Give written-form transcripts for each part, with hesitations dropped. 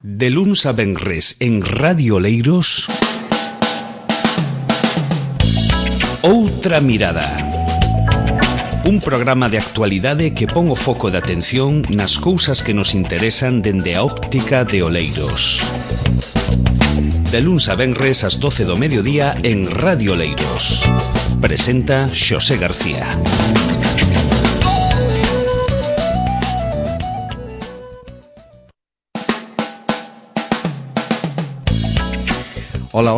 De luns a venres en Radio Oleiros, Outra Mirada. Un programa de actualidade que pon o foco de atención nas cousas que nos interesan dende a óptica de Oleiros. De luns a venres ás 12 do mediodía en Radio Oleiros. Presenta Xosé García. Hola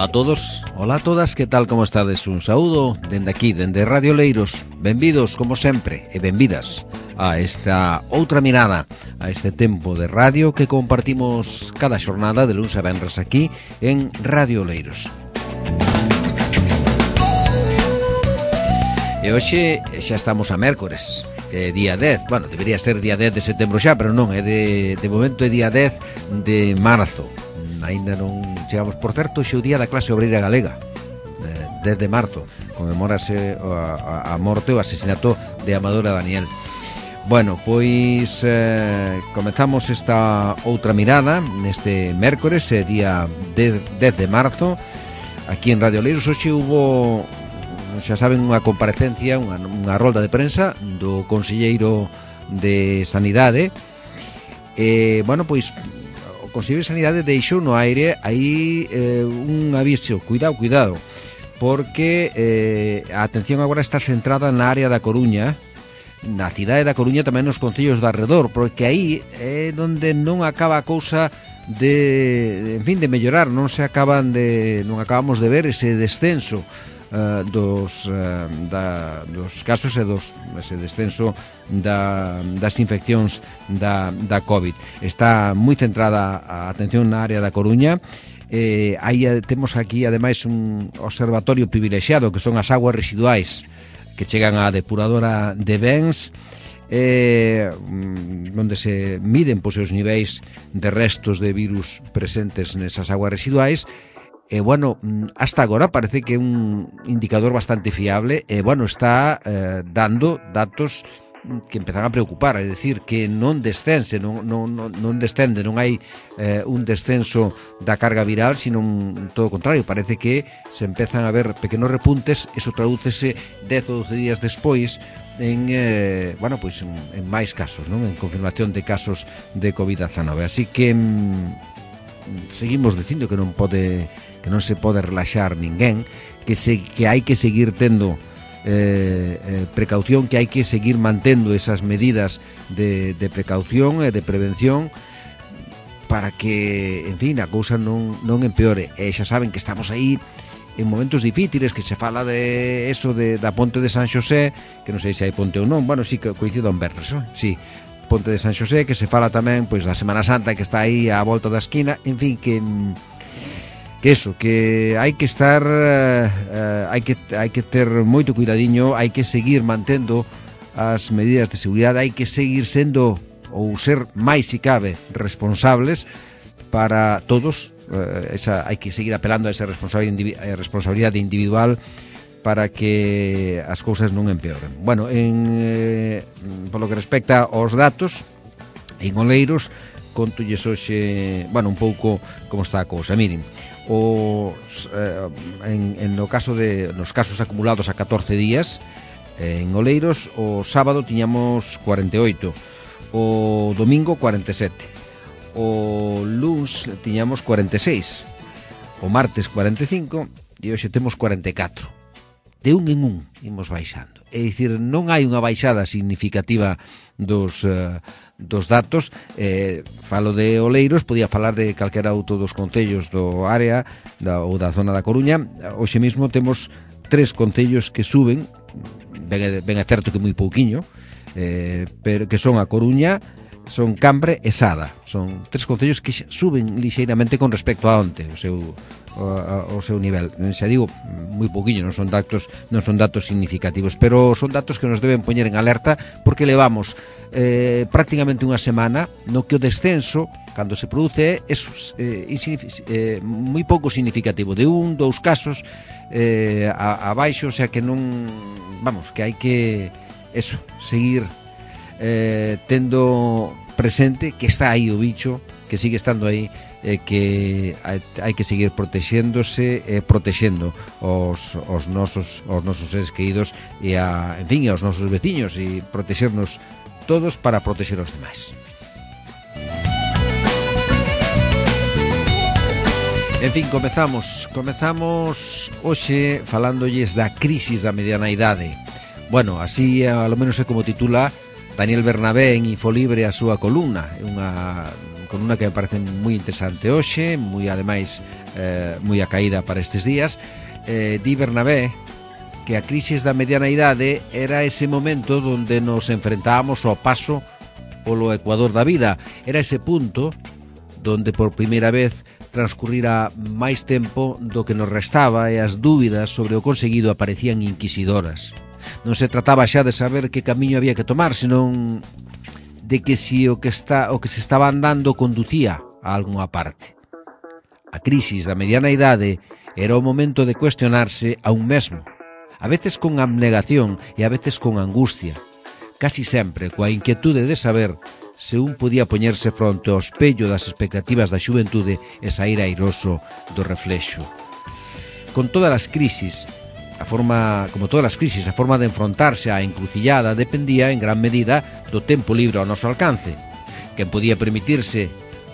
a todos, hola a todas, que tal, como estades? Un saúdo dende aquí, dende Radio Oleiros. Benvidos, como sempre, e benvidas a esta outra mirada, a este tempo de radio que compartimos cada xornada de luns a venres aquí en Radio Oleiros. E hoxe xa estamos a mércores, día 10, bueno, debería ser día 10 de setembro xa, pero non, é de momento é día 10 de marzo. Ainda non chegamos, por certo, xe o día da clase obreira galega, 10 de marzo, conmemórase a morte, o asesinato de Amadora Daniel. Bueno, pois comezamos esta outra mirada neste mércores, día 10 de marzo, aquí en Radio Oleiros. Hoxe hubo, xa saben, unha comparecencia, unha rolda de prensa do conselleiro de Sanidade. Bueno, pois o Conselleiro de Sanidade deixou no aire aí un aviso, cuidado, porque a atención agora está centrada na área da Coruña, na cidade da Coruña, tamén nos concellos de arredor, porque aí é onde non acaba a cousa de mellorar, non acabamos de ver ese descenso dos casos e ese descenso das infeccións da COVID. Está moi centrada a atención na área da Coruña. Aí temos aquí ademais un observatorio privilexiado, que son as aguas residuais que chegan á depuradora de Bens, onde se miden os niveis de restos de virus presentes nesas aguas residuais. Bueno, hasta agora parece que é un indicador bastante fiable e, bueno, está dando datos que empezan a preocupar, é dicir, que non descende, non hai un descenso da carga viral, sino todo o contrario, parece que se empezan a ver pequenos repuntes. Eso tradúcese 10 ou 12 días despois en máis casos, non? En confirmación de casos de COVID-19. Así que seguimos dicindo que non se pode relaxar ninguén, que hai que seguir tendo precaución, que hai que seguir mantendo esas medidas de precaución e de prevención para que, en fin, a cousa non empeore. E xa saben que estamos aí en momentos difíciles, que se fala de eso, da ponte de San Xosé, que non sei se hai ponte ou non, bueno, sí que coincido en verres, sí, ponte de San Xosé, que se fala tamén pois da Semana Santa, que está aí á volta da esquina, en fin, que hai que estar, hai que ter moito cuidadiño, hai que seguir mantendo as medidas de seguridade, hai que seguir sendo, ou ser máis se cabe, responsables para todos. Hai que seguir apelando a esa responsabilidade individual para que as cousas non empeoren. Bueno, polo que respecta aos datos, en Oleiros, contolles hoxe, un pouco como está a cousa. Miren, nos casos acumulados a 14 días en Oleiros, o sábado tiñamos 48, o domingo 47, o luns tiñamos 46, o martes 45 e hoxe temos 44. De un en un imos baixando. É dicir, non hai unha baixada significativa dos datos. Falo de Oleiros, podía falar de calquera outro dos concellos do área ou da zona da Coruña. Hoxe mesmo temos 3 concellos que suben, ben é certo que moi pouquiño, pero que son a Coruña, son Cambre e Sada. Son 3 concellos que suben lixeiramente con respecto a onte o seu nivel. Xa digo, moi pouquiño, non son datos significativos, pero son datos que nos deben poñer en alerta, porque levamos prácticamente unha semana no que o descenso, cando se produce, é moi pouco significativo, de 1, 2 casos abaixo, o sea que non, que hai que seguir tendo presente que está aí o bicho, que sigue estando aí, que hai que seguir protexéndose e protexendo os nosos seres queridos e en fin, aos nosos veciños, e protexernos todos para protexer os demais. En fin, comezamos hoxe falándolles da crisis da mediana idade. Bueno, así a lo menos é como titula Daniel Bernabé en Infolibre a súa columna, unha columna que me parece moi interesante hoxe, moi ademais moi acaída para estes días. Di Bernabé que a crisis da mediana idade era ese momento onde nos enfrentábamos ao paso polo ecuador da vida, era ese punto donde por primeira vez transcurrira máis tempo do que nos restaba e as dúbidas sobre o conseguido aparecían inquisidoras. Non se trataba xa de saber que camiño había que tomar, senón de que si o que se estaba andando conducía a algunha parte. A crisis da mediana idade era o momento de cuestionarse a un mesmo, a veces con abnegación e a veces con angustia, casi sempre coa inquietude de saber se un podía poñerse fronte ao espello das expectativas da xuventude e sair airoso do reflexo. Como todas as crisis, a forma de enfrontarse á encrucillada dependía en gran medida do tempo libre ao noso alcance. Quen podía permitirse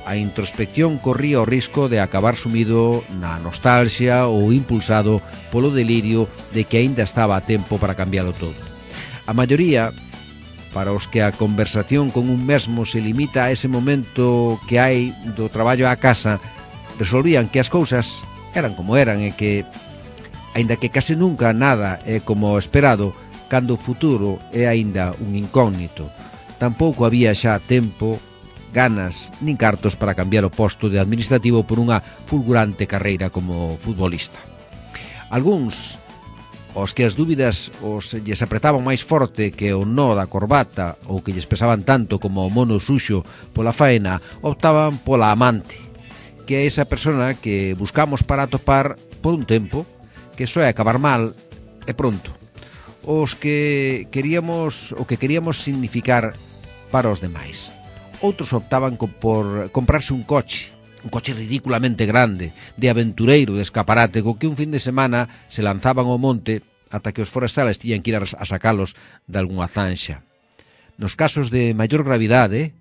a introspección corría o risco de acabar sumido na nostalgia ou impulsado polo delirio de que aínda estaba a tempo para cambialo todo. A maioría, para os que a conversación con un mesmo se limita a ese momento que hai do traballo á casa, resolvían que as cousas eran como eran e que, aínda que case nunca nada é como esperado, cando o futuro é aínda un incógnito, tampouco había xa tempo, ganas nin cartos para cambiar o posto de administrativo por unha fulgurante carreira como futbolista. Algúns, os que as dúbidas lles apretaban máis forte que o nó da corbata ou que lles pesaban tanto como o mono suxo pola faena, optaban pola amante, que é esa persona que buscamos para atopar por un tempo, que soe acabar mal e pronto. O que queríamos significar para os demais. Outros optaban por comprarse un coche ridículamente grande, de aventureiro, de escaparate, co que un fin de semana se lanzaban ao monte ata que os forestales tiñan que ir a sacalos de algunha zanxa. Nos casos de maior gravidade,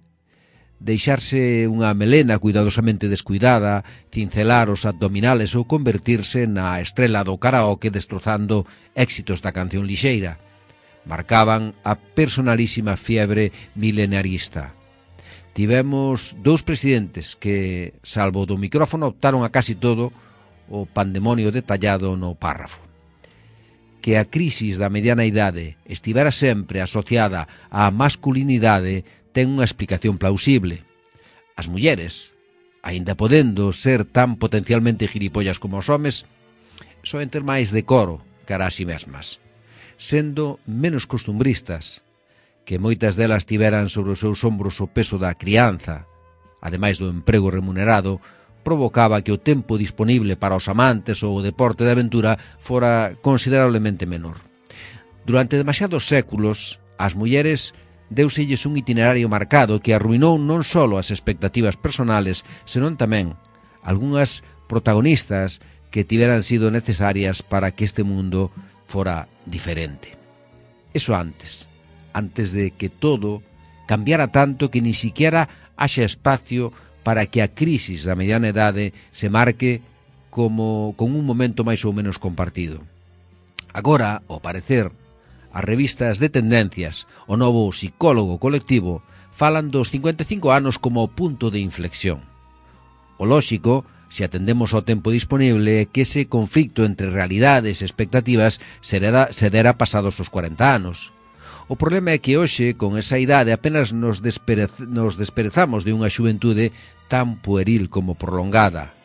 deixarse unha melena cuidadosamente descuidada, cincelar os abdominales ou convertirse na estrela do karaoke destrozando éxitos da canción lixeira. Marcaban a personalísima fiebre milenarista. Tivemos dous presidentes que, salvo do micrófono, optaron a casi todo o pandemonio detallado no párrafo. Que a crisis da mediana idade estivera sempre asociada á masculinidade ten unha explicación plausible. As mulleres, aínda podendo ser tan potencialmente gilipollas como os homes, soen ter máis decoro cara a si mesmas, sendo menos costumbristas, que moitas delas tiveran sobre os seus ombros o peso da crianza, ademais do emprego remunerado, provocaba que o tempo disponible para os amantes ou o deporte de aventura fora considerablemente menor. Durante demasiados séculos, as mulleres deuselles un itinerario marcado que arruinou non só as expectativas personales, senón tamén algunhas protagonistas que tiveran sido necesarias para que este mundo fora diferente. Eso antes de que todo cambiara tanto que ni siquiera haxa espacio para que a crisis da mediana idade se marque como con un momento máis ou menos compartido. Agora, ao parecer, as revistas de tendencias, o novo psicólogo colectivo, falan dos 55 anos como o punto de inflexión. O lóxico, se atendemos ao tempo disponible, é que ese conflicto entre realidades e expectativas se dera pasados os 40 anos. O problema é que hoxe, con esa idade, apenas nos desperezamos de unha xuventude tan pueril como prolongada.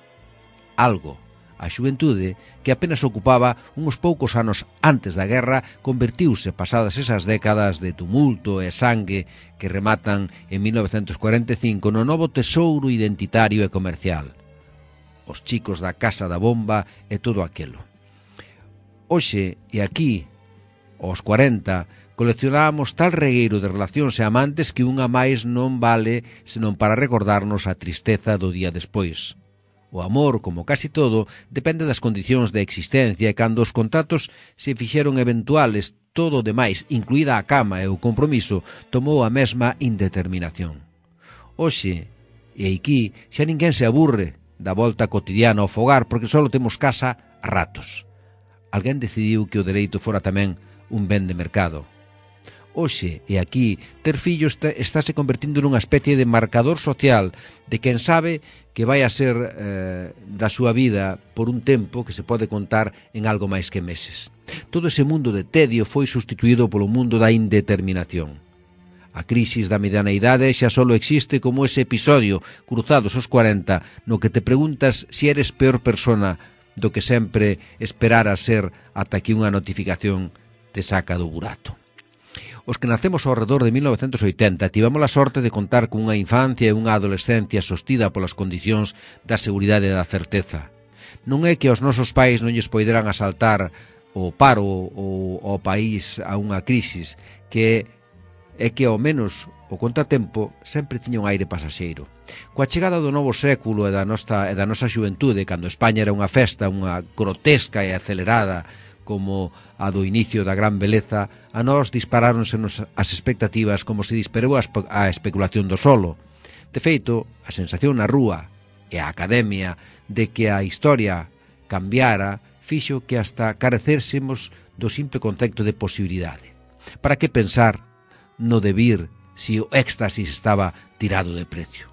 Algo, a xuventude, que apenas ocupaba uns poucos anos antes da guerra, convertiuse, pasadas esas décadas de tumulto e sangue que rematan en 1945, no novo tesouro identitario e comercial. Os chicos da Casa da Bomba e todo aquelo. Hoxe, e aquí, aos 40, Coleccionábamos tal regueiro de relacións e amantes que unha máis non vale senón para recordarnos a tristeza do día despois. O amor, como casi todo, depende das condicións de existencia e cando os contratos se fixeron eventuales, todo o demais, incluída a cama e o compromiso, tomou a mesma indeterminación. Hoxe, e aquí, xa ninguén se aburre da volta cotidiana ao fogar porque só temos casa a ratos. Alguén decidiu que o dereito fora tamén un ben de mercado. Hoxe, e aquí, ter fillos estáse convertindo nunha especie de marcador social de quen sabe que vai a ser da súa vida por un tempo que se pode contar en algo máis que meses. Todo ese mundo de tedio foi sustituído polo mundo da indeterminación. A crisis da mediana idade xa só existe como ese episodio, cruzados os 40, no que te preguntas se eres peor persona do que sempre esperara ser ata que unha notificación te saca do burato. Os que nacemos ao redor de 1980 tivemos a sorte de contar cunha infancia e unha adolescencia sostida polas condicións da seguridade e da certeza. Non é que aos nosos pais non lles poideran asaltar o paro ou o país a unha crisis, que é que ao menos o contratempo sempre tiña un aire pasaxeiro. Coa chegada do novo século e da nosa xuventude, cando España era unha festa, unha grotesca e acelerada como a do inicio da gran beleza, a nós disparáronsenos as expectativas como se disparou a especulación do solo. De feito, a sensación na rúa e a academia de que a historia cambiara fixo que hasta carecésemos do simple concepto de posibilidade. Para que pensar no debir se o éxtasis estaba tirado de precio?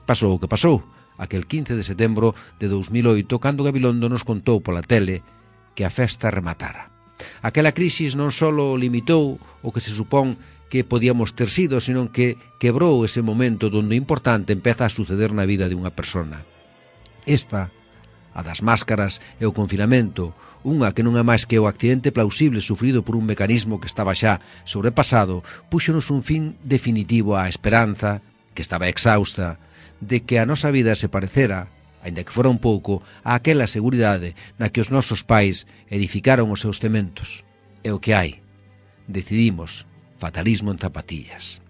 Pasou o que pasou, aquel 15 de setembro de 2008, cando Gabilondo nos contou pola tele que a festa rematara. Aquela crisis non só limitou o que se supón que podíamos ter sido, senón que quebrou ese momento onde o importante empeza a suceder na vida de unha persona. Esta, a das máscaras e o confinamento, unha que non é máis que o accidente plausible sufrido por un mecanismo que estaba xa sobrepasado, púxonos un fin definitivo á esperanza, que estaba exhausta, de que a nosa vida se parecera, aínda que fora un pouco, a aquela seguridade na que os nosos pais edificaron os seus cementos. É o que hai. Decidimos fatalismo en zapatillas.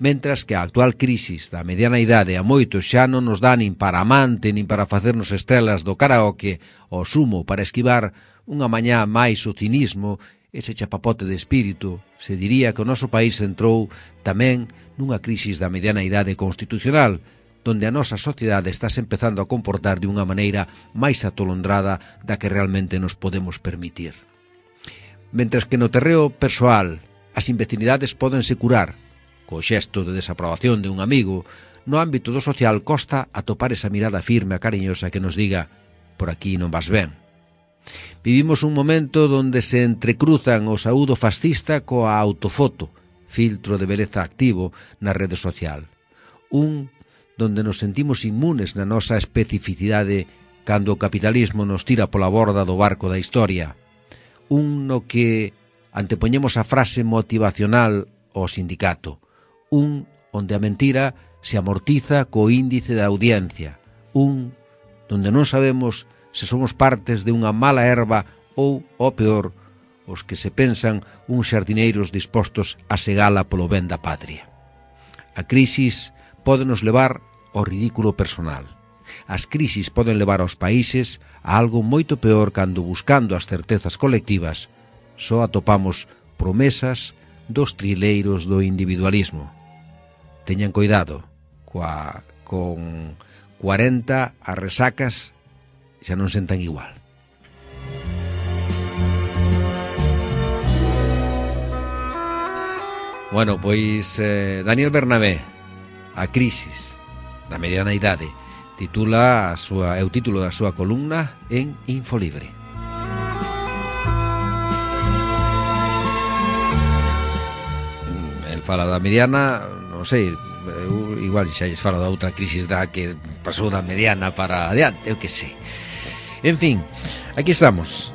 Mentras que a actual crisis da mediana idade a moitos xa non nos dá nin para amante nin para facernos estrelas do karaoke, o sumo para esquivar unha mañá máis o cinismo, ese chapapote de espírito, se diría que o noso país entrou tamén nunha crisis da mediana idade constitucional, donde a nosa sociedade estás empezando a comportar de unha maneira máis atolondrada da que realmente nos podemos permitir. Mentres que no terreo persoal as imbecilidades pódense curar co xesto de desaprobación de un amigo, no ámbito do social costa atopar esa mirada firme e cariñosa que nos diga por aquí non vas ben. Vivimos un momento donde se entrecruzan o saúdo fascista coa autofoto, filtro de beleza activo na rede social. Un donde nos sentimos inmunes na nosa especificidade cando o capitalismo nos tira pola borda do barco da historia. Un no que antepoñemos a frase motivacional ao sindicato. Un onde a mentira se amortiza co índice da audiencia. Un donde non sabemos se somos partes de unha mala erva ou, o peor, os que se pensan uns xardineiros dispostos a segala polo ben da patria. A crisis pode nos levar ao ridículo personal. As crisis poden levar aos países a algo moito peor cando, buscando as certezas colectivas, só atopamos promesas dos trileiros do individualismo. Teñan cuidado, con 40 as resacas xa non sentan igual. Bueno, pois Daniel Bernabé, A crisis da mediana idade, é o título da súa columna en Infolibre. El fala da mediana, non sei, igual xa lles fala da outra crisis da que pasou da mediana para adiante, eu que sei. En fin, aquí estamos,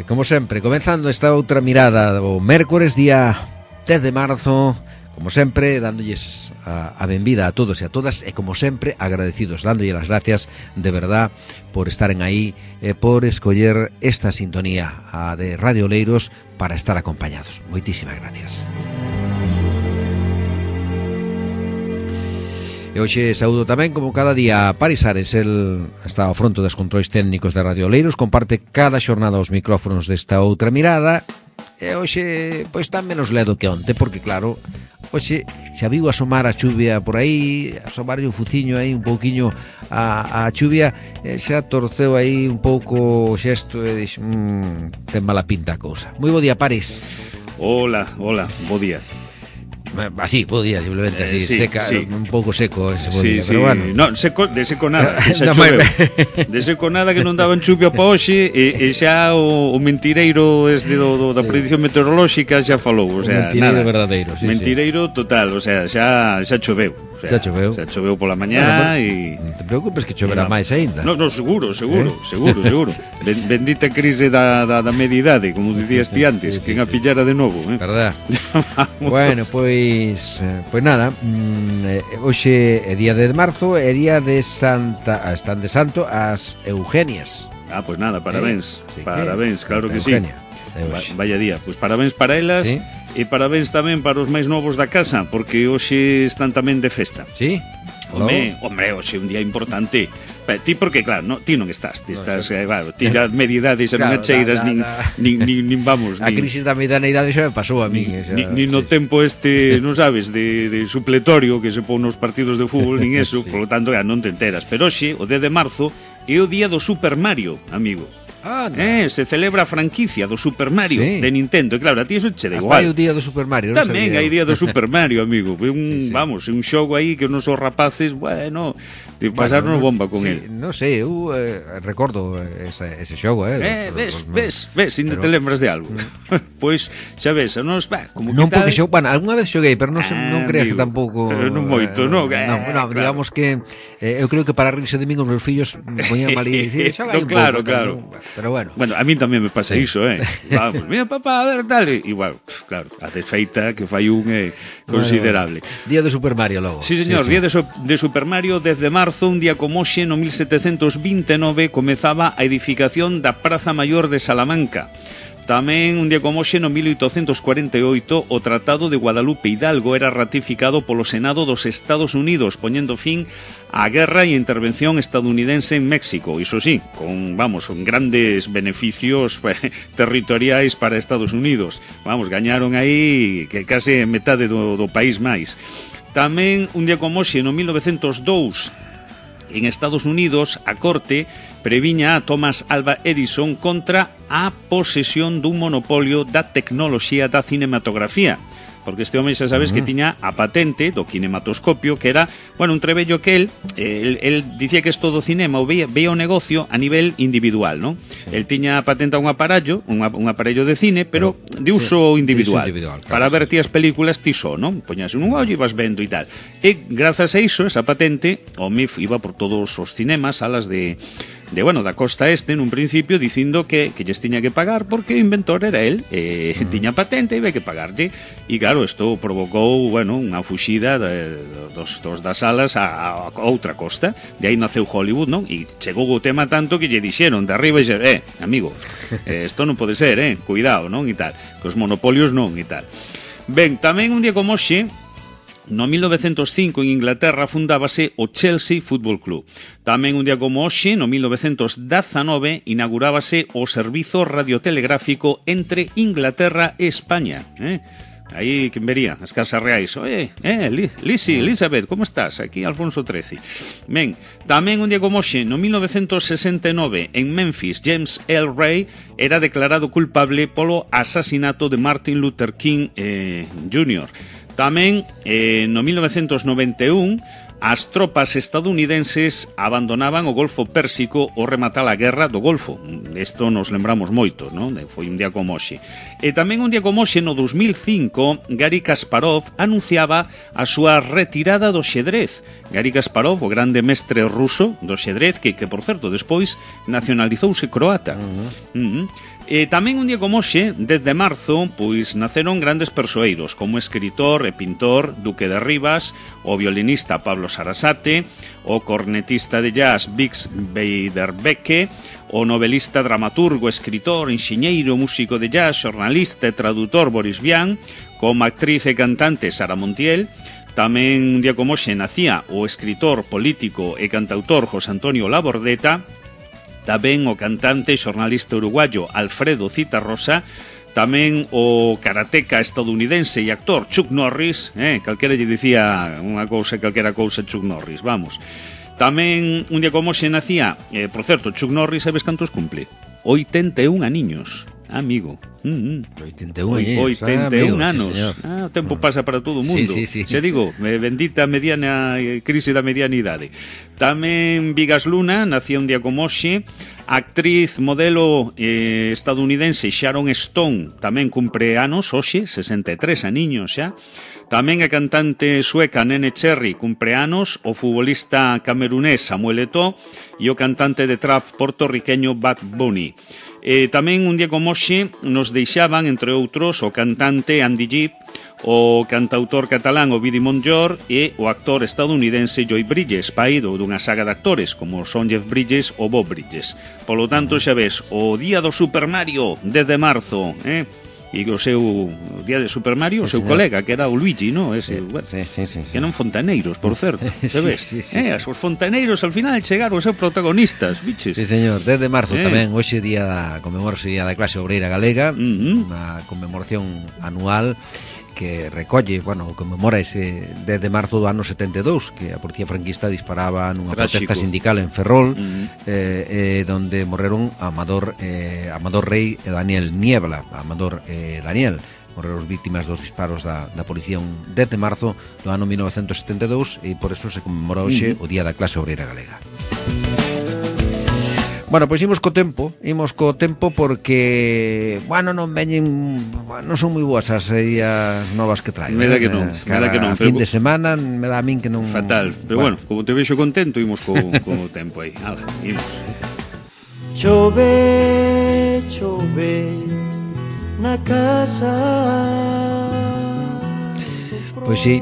como sempre, comenzando esta outra mirada o mércores, día 10 de marzo, como sempre, dándolles a benvida a todos e a todas, e como sempre, agradecidos, dándolles as gracias de verdad por estaren aí e por escoller esta sintonía, a de Radio Oleiros, para estar acompañados. Moitísimas gracias. E hoxe saúdo tamén, como cada día, a Paris Ares. El está ao fronte dos controis técnicos de Radio Oleiros, comparte cada xornada os micrófonos desta outra mirada. E hoxe, pois, tan menos ledo que onte, porque claro, hoxe xa viu asomar a chuvia por aí, asomar o fuciño aí un pouquiño a chuvia, xa torceu aí un pouco o xesto e dixo, ten mala pinta a cousa. Moi bo día, Paris. Hola, bo día. Así, bo día, simplemente así, sí, seca, sí. Un pouco seco ese bo sí, día, sí. pero bueno. No, de seco nada, xa choveu. De seco nada, que non daban chuvia pa hoxe, e xa o mentireiro da predicción meteorolóxica xa falou, o sea, mentireiro nada. verdadeiro, sí, mentireiro total, o sea, xa choveu. O sea, xa choveu pola mañá e... Non te preocupes que choverá máis aínda. No, seguro. Bendita crise da mediidade, como dicías ti antes, que a pillara de novo, Verdad. Bueno, pois nada, hoxe é día de marzo, é día de Santa, están de santo as Eugenias. Pois nada, parabéns. Parabéns, claro que sí. Vaya día, pois parabéns para elas. Sí. E parabéns tamén para os máis novos da casa, porque hoxe están tamén de festa. Sí? Hombre, hoxe é un día importante. Ti porque, claro, ti non estás. Ti estás, ti da mediedade xa non Claro, cheiras nin vamos. A crisis da medianidade xa me pasou a min. Nin no tempo non sabes, de supletorio que se pon nos partidos de fútbol, nin eso, por lo tanto, non te enteras. Pero hoxe, o 10 de marzo, é o día do Super Mario, amigo. Se celebra a franquicia do Super Mario de Nintendo. E claro, a ti eso che da igual. Hasta hai o día do Super Mario. Tamén hai día do Super Mario, amigo. Vamos, un xogo aí que os nosos rapaces, bueno, pasaron bomba con el. Non sei, eu recordo ese xogo, Ves, ainda te lembras de algo. Pois, xa ves, nos, como non porque xogo, algunha vez xoguei, pero non creas que tampouco non moito, non. Digamos que eu creo que para rirse de min os meus fillos poñían mal e dicir, xoga aí un pouco. Claro. Pero bueno, a mí tamén me pasa iso, Vamos, mira, papá, a ver, tal. Igual, claro, a desfeita que fai un considerable. Día de Super Mario logo. Sí, señor, día de Super Mario, 10 de marzo, un día como hoxe, no 1729, comezaba a edificación da Praza Maior de Salamanca. Tamén, un día como hoxe, no 1848, o Tratado de Guadalupe Hidalgo era ratificado polo Senado dos Estados Unidos, poñendo fin á guerra e intervención estadounidense en México. Iso sí, con grandes beneficios territoriais para Estados Unidos. Gañaron aí que case metade do país máis. Tamén, un día como hoxe, no 1902, en Estados Unidos, a Corte previña a Thomas Alva Edison contra a posesión dun monopolio da tecnoloxía da cinematografía. Porque este home xa sabes que tiña a patente do kinematoscopio, que era, un trebello que el dicía que isto do cinema veía o negocio a nivel individual, non? El tiña patente a un aparello de cine, pero de uso individual, claro, para ver ti as películas ti só, non? Poñas un ollo e vas vendo e tal. E grazas a iso, esa patente, o home iba por todos os cinemas, salas da costa este, nun principio, dicindo que lles tiña que pagar porque o inventor era el, tiña patente e iba que pagarlle. E claro, isto provocou, unha fuxida dos das salas a outra costa. De aí naceu Hollywood, non? E chegou o tema tanto que lle dixeron de arriba e dixeron, amigo, isto non pode ser, cuidado, non? E tal, que os monopolios non, e tal. Ben, tamén un día como hoxe, no 1905 en Inglaterra fundábase o Chelsea Football Club. Tamén un día como hoxe, no 1919, inaugurábase o servizo radiotelegráfico entre Inglaterra e España. Aí, quen vería? As casas reais. Elizabeth, como estás? Aquí Alfonso XIII. Ben, tamén un día como hoxe, no 1969, en Memphis, James L. Ray era declarado culpable polo asasinato de Martin Luther King Jr. Tamén, no 1991, as tropas estadounidenses abandonaban o Golfo Pérsico ao rematar a guerra do Golfo. Isto nos lembramos moito, non? Foi un día como hoxe. E tamén un día como hoxe, no 2005, Garry Kasparov anunciaba a súa retirada do xedrez. Garry Kasparov, o grande mestre ruso do xedrez, que por certo, despois nacionalizouse croata. E tamén un día como hoxe, desde marzo, pois naceron grandes persoeiros, como escritor e pintor Duque de Rivas, o violinista Pablo Sarasate, o cornetista de jazz Bix Beiderbecke, o novelista, dramaturgo, escritor, enxeñeiro, músico de jazz, xornalista e tradutor Boris Vian, como actriz e cantante Sara Montiel. Tamén un día como hoxe nacía o escritor, político e cantautor José Antonio Labordeta, tamén o cantante e xornalista uruguayo Alfredo Citarrosa, tamén o karateca estadounidense e actor Chuck Norris, calquera lle dicía unha cousa, calquera cousa Chuck Norris, vamos. Tamén un día como hoxe nacía, por certo, Chuck Norris, sabes cantos cumple? 81 aniños, amigo. 81 anos. O tempo pasa para todo o mundo. Sí. Se digo, bendita mediana crise da medianidade. Tamén Vigas Luna nacía un día como hoxe. Actriz, modelo estadounidense Sharon Stone tamén cumpre anos hoxe, 63 aniños xa. Tamén a cantante sueca Nene Cherry cumpre anos, o futbolista camerunés Samuel Eto'o e o cantante de trap portorriqueño Bad Bunny. Tamén un día como hoxe nos deixaban, entre outros, o cantante Andy Gibb, o cantautor catalán Ovidi Montllor e o actor estadounidense Joy Bridges, pai dunha saga de actores como son Jeff Bridges ou Bob Bridges. Polo tanto, xa ves, o día do Super Mario, desde marzo, e o seu día de Super Mario, o seu colega, que era o Luigi, ¿no? Ese, que eran fontaneiros, por certo, sabes? Os fontaneiros al final chegaron a ser protagonistas, biches. Sí, señor, desde marzo tamén, hoxe conmemorase o Día da Clase Obreira Galega, unha conmemoración anual que recolle, conmemora ese 10 de marzo do ano 72, que a policía franquista disparaba nunha protesta sindical en Ferrol, donde morreron Amador Rey e Daniel Niebla. Amador Daniel morreron víctimas dos disparos da policía un 10 de marzo do ano 1972, e por eso se conmemora hoxe o Día da Clase Obreira Galega. Bueno, pois imos co tempo porque, non veñen, non son moi boas as ideas novas que traen. Me da que non, fin de semana, me dá a min que non... Fatal, pero como te vexo contento, imos co tempo aí. Ala, imos. Chove na casa. Pois sí,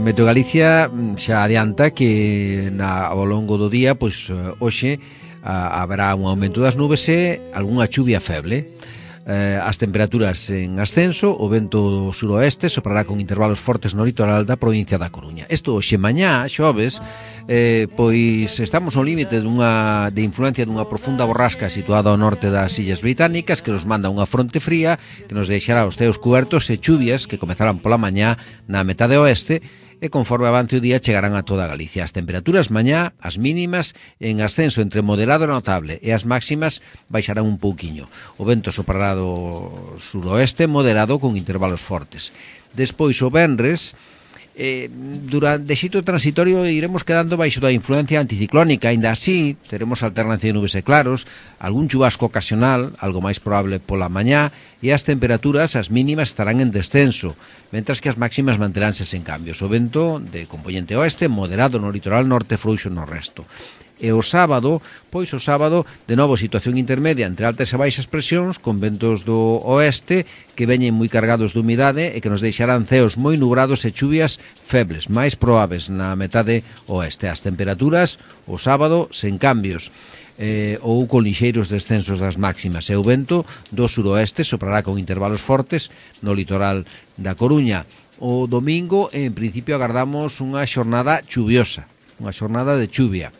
Meteo Galicia xa adianta que ao longo do día, pois hoxe haberá un aumento das nubes e algunha chuvia feble. As temperaturas en ascenso, o vento do suroeste soprará con intervalos fortes no litoral da provincia da Coruña. Isto hoxe mañá, xoves, pois estamos ao límite de influencia dunha profunda borrasca situada ao norte das Illas Británicas, que nos manda unha fronte fría que nos deixará os ceos cubertos e chuvias que comezarán pola mañá na metade oeste, e conforme avance o día chegarán a toda Galicia. As temperaturas mañá, as mínimas, en ascenso entre moderado e notable, e as máximas baixarán un pouquiño. O vento soprará do suroeste moderado con intervalos fortes. Despois, o venres, durante xito transitorio iremos quedando baixo da influencia anticiclónica. Ainda así, teremos alternancia de nubes e claros, algún chubasco ocasional, algo máis probable pola mañá, e as temperaturas, as mínimas, estarán en descenso, mentras que as máximas manteránse sen cambios. O vento de componente oeste, moderado no litoral norte, frouxo no resto. E o sábado, de novo situación intermedia entre altas e baixas presións, con ventos do oeste que veñen moi cargados de humidade e que nos deixarán ceos moi nubrados e chuvias febles, máis probables na metade oeste. As temperaturas, o sábado, sen cambios, ou con lixeiros descensos das máximas, e o vento do suroeste soprará con intervalos fortes no litoral da Coruña. O domingo, en principio, agardamos unha xornada chuviosa, unha xornada de chuvia.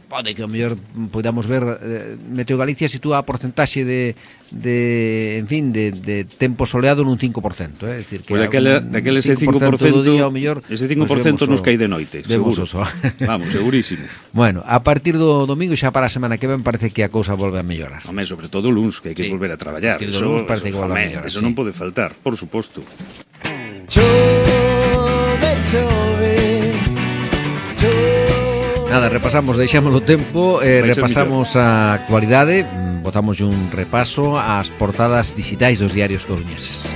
Pode que ao mellor podamos ver, Meteo Galicia sitúa a porcentaxe de tempo soleado nun 5%, é dicir que daquele ese 5% do día ao mellor, ese 5% nos cae de noite, seguro. Vamos, segurísimo. Bueno, a partir do domingo xa para a semana que ven parece que a cousa volve a mellorar. Home, sobre todo o luns, que hai que volver a traballar. Eso non pode faltar, por suposto. Nada, repasamos, deixamos o tempo, repasamos a actualidade, botamos un repaso ás portadas digitais dos diarios coruñeses.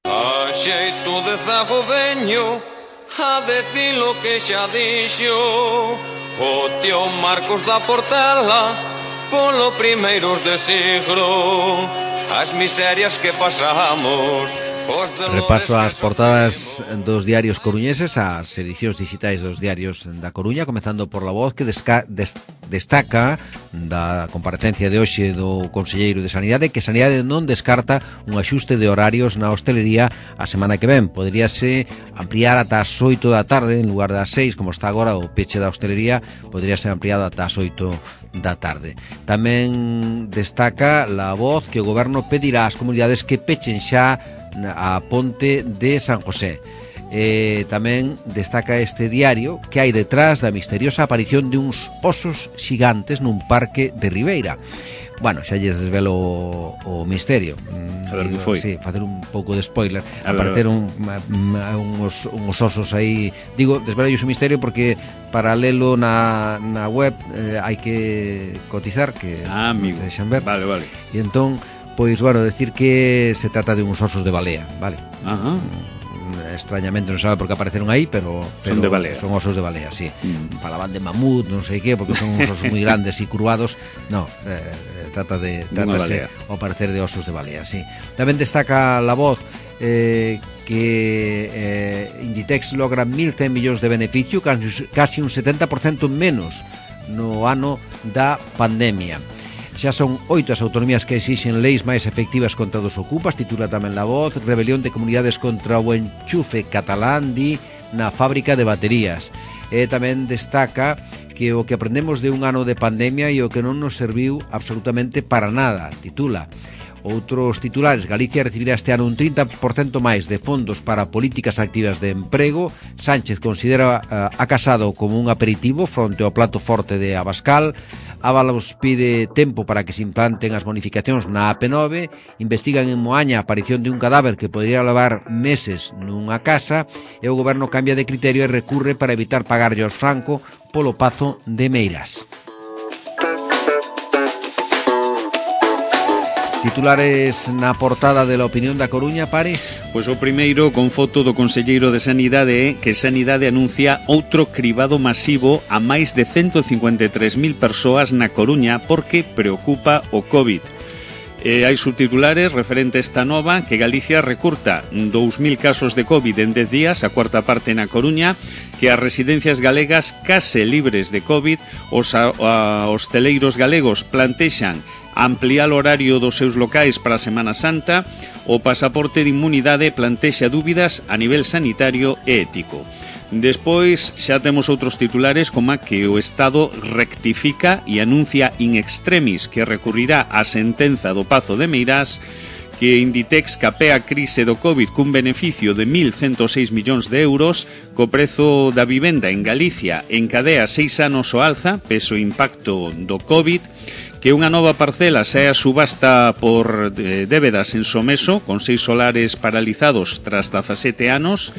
A xeito de zagodeño, a decir lo que xa dixo, O tío Marcos da Portela polo primeiros de siglo, as miserias que pasamos. Repaso ás portadas dos diarios coruñeses, as edicións digitais dos diarios da Coruña, comezando por La Voz, que destaca da comparecencia de hoxe do Conselleiro de Sanidade que Sanidade non descarta un axuste de horarios na hostelería a semana que ven. Poderíase ampliar ata as 8 da tarde en lugar das 6, como está agora o peche da hostelería, podería ser ampliado ata as 8 da tarde. Tamén destaca La Voz que o Goberno pedirá ás comunidades que pechen xa a ponte de San José. Tamén destaca este diario que hai detrás da misteriosa aparición de uns osos xigantes nun parque de Ribeira. Bueno, xa lles desvelo o misterio. A ver que foi. Sí, facer un pouco de spoiler. Aparecer uns osos aí. Digo, desvelo o misterio porque para lelo na web hai que cotizar, que amigo. Deixan ver. Vale. E entón, pois, bueno, decir que se trata de uns osos de balea, vale? Ajá. Extrañamente non sabe por que apareceron aí, pero son de balea. Son osos de balea, sí. Falaban de mamut, non sei que, porque son uns osos moi grandes e curvados. No, trátase ao parecer de osos de balea, sí. Tamén destaca La Voz que Inditex logra 1.100 millóns de beneficio, casi un 70% menos no ano da pandemia. Xa son 8 as autonomías que exixen leis máis efectivas contra os ocupas, titula tamén La Voz. Rebelión de comunidades contra o enchufe catalán, di, na fábrica de baterías. E tamén destaca que o que aprendemos de un ano de pandemia e o que non nos serviu absolutamente para nada, titula. Outros titulares: Galicia recibirá este ano un 30% máis de fondos para políticas activas de emprego. Sánchez considera a Casado como un aperitivo fronte ao plato forte de Abascal. Ábalos pide tempo para que se implanten as bonificacións na AP9. Investigan en Moaña a aparición de un cadáver que podría levar meses nunha casa. E o goberno cambia de criterio e recurre para evitar pagarlle aos Franco polo Pazo de Meirás. Titulares na portada de La Opinión da Coruña, Pares. Pois o primeiro, con foto do Conselleiro de Sanidade, que Sanidade anuncia outro cribado masivo a máis de 153.000 persoas na Coruña porque preocupa o COVID. Hai subtitulares referente a esta nova, que Galicia recurta 2.000 casos de COVID en 10 días, a cuarta parte na Coruña, que as residencias galegas case libres de COVID, os hosteleiros galegos plantexan ampliar o horario dos seus locais para a Semana Santa, o pasaporte de inmunidade plantexa dúbidas a nivel sanitario e ético. Despois xa temos outros titulares como que o Estado rectifica e anuncia in extremis que recurrirá á sentenza do Pazo de Meirás, que Inditex capea a crise do COVID cun beneficio de 1.106 millóns de euros, co prezo da vivenda en Galicia encadea 6 anos o alza, peso e impacto do COVID, que unha nova parcela sae a subasta por débedas en Someso, con 6 solares paralizados tras 17 anos.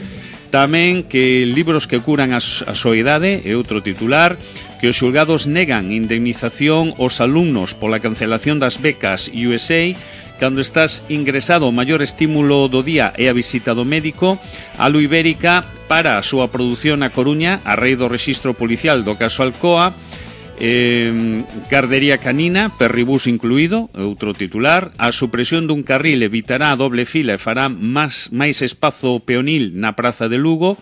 Tamén que libros que curan a soidade, é outro titular, que os xulgados negan indemnización aos alumnos pola cancelación das becas USA. Cando estás ingresado, o maior estímulo do día é a visita do médico. A Lu Ibérica para a súa produción na Coruña a raíz do rexistro policial do caso Alcoa. Gardería canina, perribús incluído, outro titular. A supresión dun carril evitará a doble fila e fará máis espazo peonil na Praza de Lugo.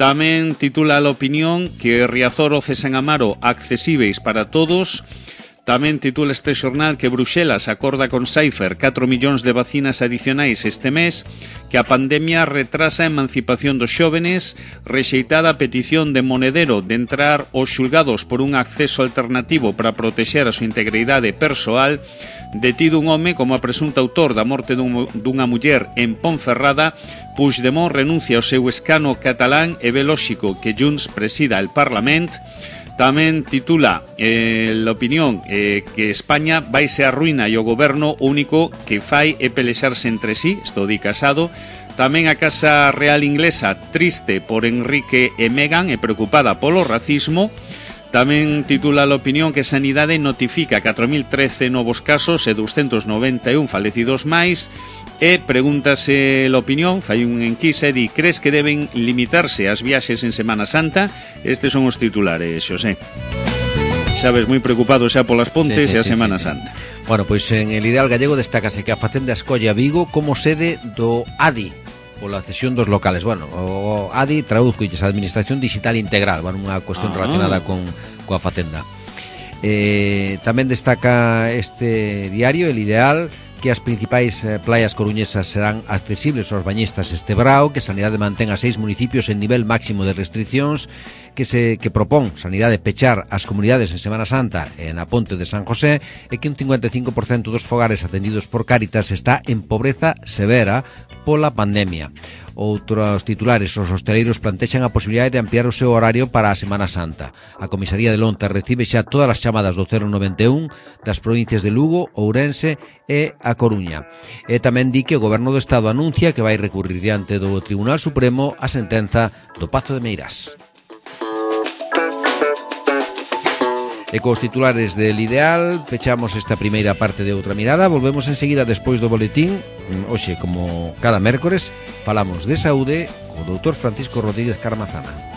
Tamén titula La Opinión que Riazor o Cesen Amaro accesíveis para todos. Tamén titula este xornal que Bruxelas acorda con Pfizer 4 millóns de vacinas adicionais este mes, que a pandemia retrasa a emancipación dos xóvenes, rexeitada a petición de Monedero de entrar aos xulgados por un acceso alternativo para protexer a súa integridade persoal, detido un home como a presunto autor da morte dunha muller en Ponferrada. Puigdemont renuncia ao seu escano catalán e ve lóxico que Junts presida el Parlament. Tamén titula La Opinión que España vaise á ruína e o goberno único que fai é pelexarse entre sí, isto di Casado. Tamén a Casa Real Inglesa triste por Enrique e Meghan e preocupada polo racismo. Tamén titula La Opinión que Sanidade notifica 4.013 novos casos e 291 falecidos máis. E pregúntase a opinión, fai un enquisa e di: crees que deben limitarse as viaxes en Semana Santa? Estes son os titulares, Xosé. Sabes, moi preocupado xa polas pontes e a Semana Santa. Bueno, pois en el Ideal Gallego destácase que a Facenda escolle a Vigo como sede do ADI pola cesión dos locales. Bueno, o ADI traduzco a Administración Digital Integral, bueno, unha cuestión relacionada coa Facenda. Tamén destaca este diario, el Ideal, que as principais playas coruñesas serán accesibles aos bañistas este verao, que Sanidade mantén a 6 municipios en nivel máximo de restriccións, que propón Sanidade pechar as comunidades en Semana Santa na Ponte de San José, e que un 55% dos fogares atendidos por Cáritas está en pobreza severa pola pandemia. Outros titulares, os hosteleiros plantexan a posibilidade de ampliar o seu horario para a Semana Santa. A Comisaría de Lonta recibe xa todas as chamadas do 091 das provincias de Lugo, Ourense e a Coruña. E tamén di que o Goberno do Estado anuncia que vai recurrir diante do Tribunal Supremo a sentenza do Pazo de Meirás. E cos titulares del Ideal pechamos esta primeira parte de Outra Mirada. Volvemos enseguida despois do boletín. Hoxe, como cada mércores, falamos de saúde co doutor Francisco Rodríguez Carmazana.